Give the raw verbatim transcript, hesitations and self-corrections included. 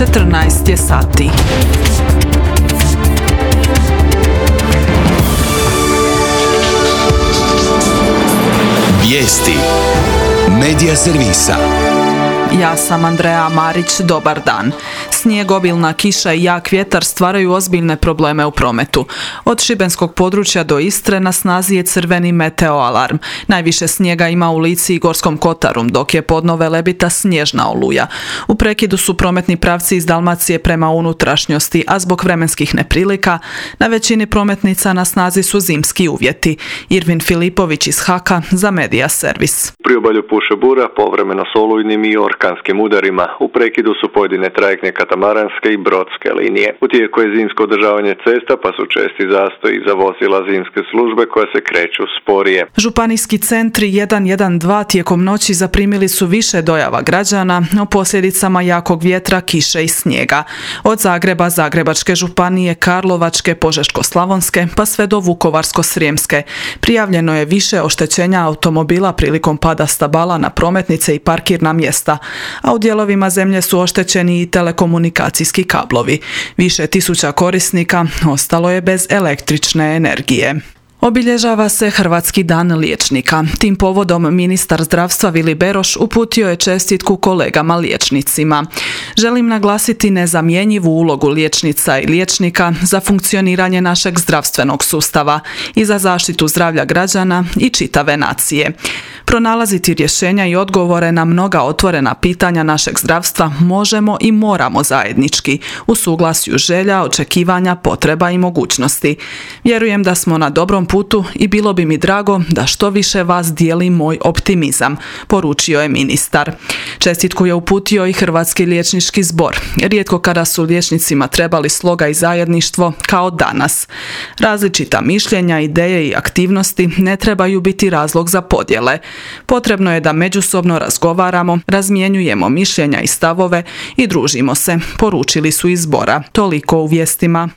četrnaest je sati. Vijesti Medija servisa. Ja sam Andreja Marić, dobar dan. Snijeg, obilna kiša i jak vjetar stvaraju ozbiljne probleme u prometu. Od šibenskog područja do Istre na snazi je crveni meteo alarm. Najviše snijega ima u Lici i Gorskom Kotaru, dok je podno Velebita snježna oluja. U prekidu su prometni pravci iz Dalmacije prema unutrašnjosti, a zbog vremenskih neprilika na većini prometnica na snazi su zimski uvjeti. Irvin Filipović iz Haka za Medija servis. U priobalju puše bura, povremeno s olujnim i orkanskim udarima. U prekidu su pojedine trajektne katamaranske i brodske linije. U tijeku je zimsko održavanje cesta, pa su česti zastoji za vozila zimske službe koja se kreću sporije. Županijski centri jedan jedan dva tijekom noći zaprimili su više dojava građana o posljedicama jakog vjetra, kiše i snijega. Od Zagreba, Zagrebačke županije, Karlovačke, Požeško-slavonske pa sve do Vukovarsko-srijemske. Prijavljeno je više oštećenja automobila prilikom pada stabala na prometnice i parkirna mjesta, a u dijelovima zemlje su oštećeni i telekomunikacijski kablovi. Više tisuća korisnika ostalo je bez električne energije. Obilježava se Hrvatski dan liječnika. Tim povodom ministar zdravstva Vili Beroš uputio je čestitku kolegama liječnicima. Želim naglasiti nezamjenjivu ulogu liječnica i liječnika za funkcioniranje našeg zdravstvenog sustava i za zaštitu zdravlja građana i čitave nacije. Pronalaziti rješenja i odgovore na mnoga otvorena pitanja našeg zdravstva možemo i moramo zajednički, u suglasju želja, očekivanja, potreba i mogućnosti. Vjerujem da smo na dobrom putu i bilo bi mi drago da što više vas dijeli moj optimizam, poručio je ministar. Čestitku je uputio i Hrvatski liječnički zbor. Rijetko kada su liječnicima trebali sloga i zajedništvo kao danas. Različita mišljenja, ideje i aktivnosti ne trebaju biti razlog za podjele. Potrebno je da međusobno razgovaramo, razmjenjujemo mišljenja i stavove i družimo se, poručili su iz zbora. Toliko u vijestima.